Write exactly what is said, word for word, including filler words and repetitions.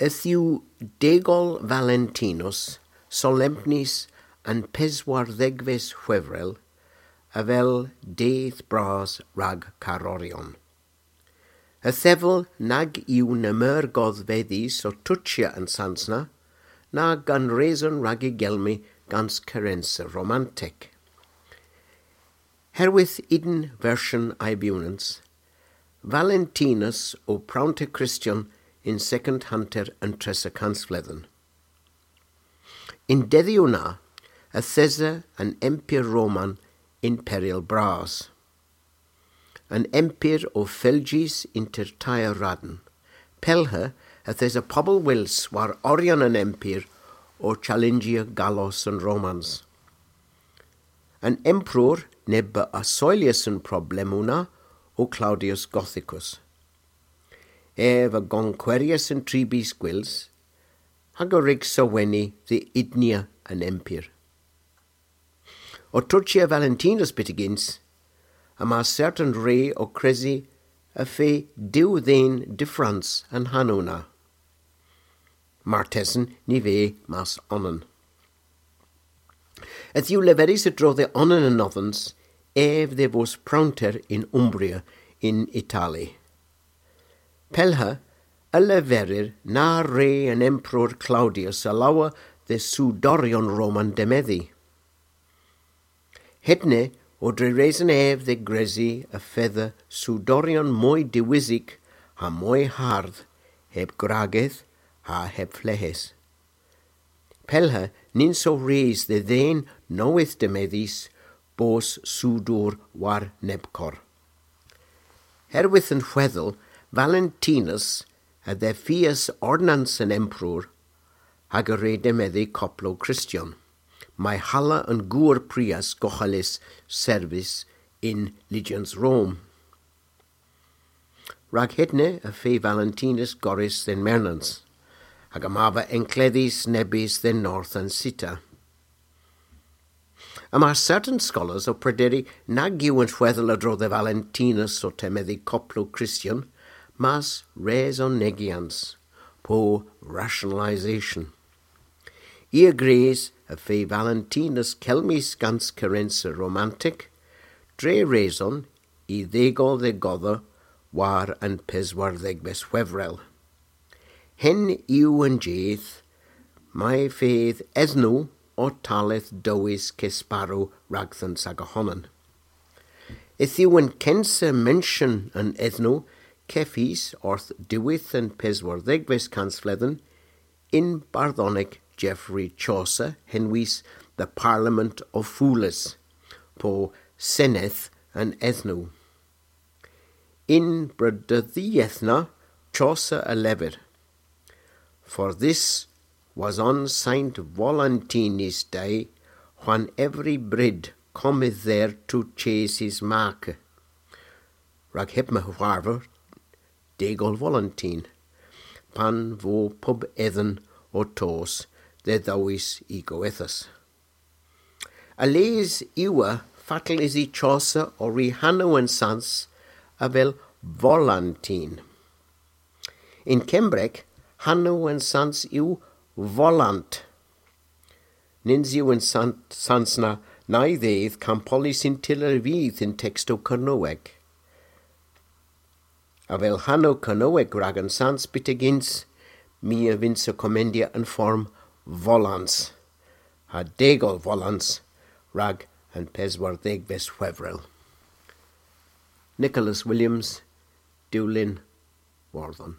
Yth yw degol Valentinus solempnys an peswardhegves hwevrel avel dydh bras rag karoryon. Y thevel nag yw na meur godhvedhys ow tochya an sans na, na gans reson rag y gelmi gans kerensa romantek. Herwydh unn versyon a'y bewnans, Valentinus o prownter Kristyon yn sekond hanter an tressa kansvledhen. Y'n dedhyow na, yth esa an Empyr Roman yn peryl bras. An Empyr o fylgjys ynter teyr rann. Pellha yth esa pobel wyls war oryon an Empyr ow challenjya gallos an Romans. An Emperor neb a assoyllas an problemow na o Claudius Gothicus. Ev a gonkweryas an tri bys gwyls, hag a wrug seweni dhe udnya an Empyr. Ow tochya Valentinus byttegyns, yma sertan re ow kresi y feu diw dhen dyffrans an hanow na. Martesen ny veu mas onan. Yth yw leverys a-dro dhe onan anodhans ev dhe vos prownter yn Umbria yn Itali. Pellha y leverir na wre an Emperor Claudius alowya dhe soudoryon Roman demedhi. Hedna o dre reson ev dhe gresi y fedha soudoryon moy dewisik ha moy hardh, heb gwragedh ha heb fleghes. Pellha nyns o res dhe dhen nowydh demedhys bos soudor war nebkor. Herwydh an hwedhel, Valentinus a dhefias ordnans an Emperor hag a wre demedhi koplow Kristyon, may halla an gour prias gohelys servis yn Lyjans Rom. Rag hedna y feu Valentinus gorrys dhe'n mernans, hag yma ev ankledhys nebes dhe'n north a'n sita. Yma sertan skolars ow prederi nag yw an hwedhel a-dro dhe Valentinus ow temedhi koplow Kristyon, mes resonegyans, po rationalisation. I a grys y feu Valentinus kelmys gans kerensa romantek, dre reson y dhegol dhe godha war an peswardhegves hwevrel. Henn yw an jydh may fydh edhnow ow talleth dowes kesparow ragdhons aga honan. Yth yw an kensa menshyon an edhnow kevys orth diwedh an peswardhegves kansvledhen yn bardhonek Geoffrey Chaucer henwys The Parliament of Fools, po Senedh an Edhnow. Yn bredydheth na, Chaucer a lever: "For this was on Saint Valentini's day, when every brid cometh there to chase his make." Rag heb meur hwarvos, degol Valentin, pan vo pub edhen ow tos dhe dhowes y gowethas. A-les yw fatel usi Chaucer ow ri hanow an sans avel Volantin. Yn Kembrek, hanow an sans yw Volant. Nyns yw an san-, sans na nay dheuth kampolys yn tyller vyth yn tekstow Kernewek. Avel hanow Kernewek rag an sans byttegyns, my a vynnsa komendya an form Volans, ha degol Volans rag an peswardhegves hwevrel. Nicholas Williams, Dulyn, Wordhen.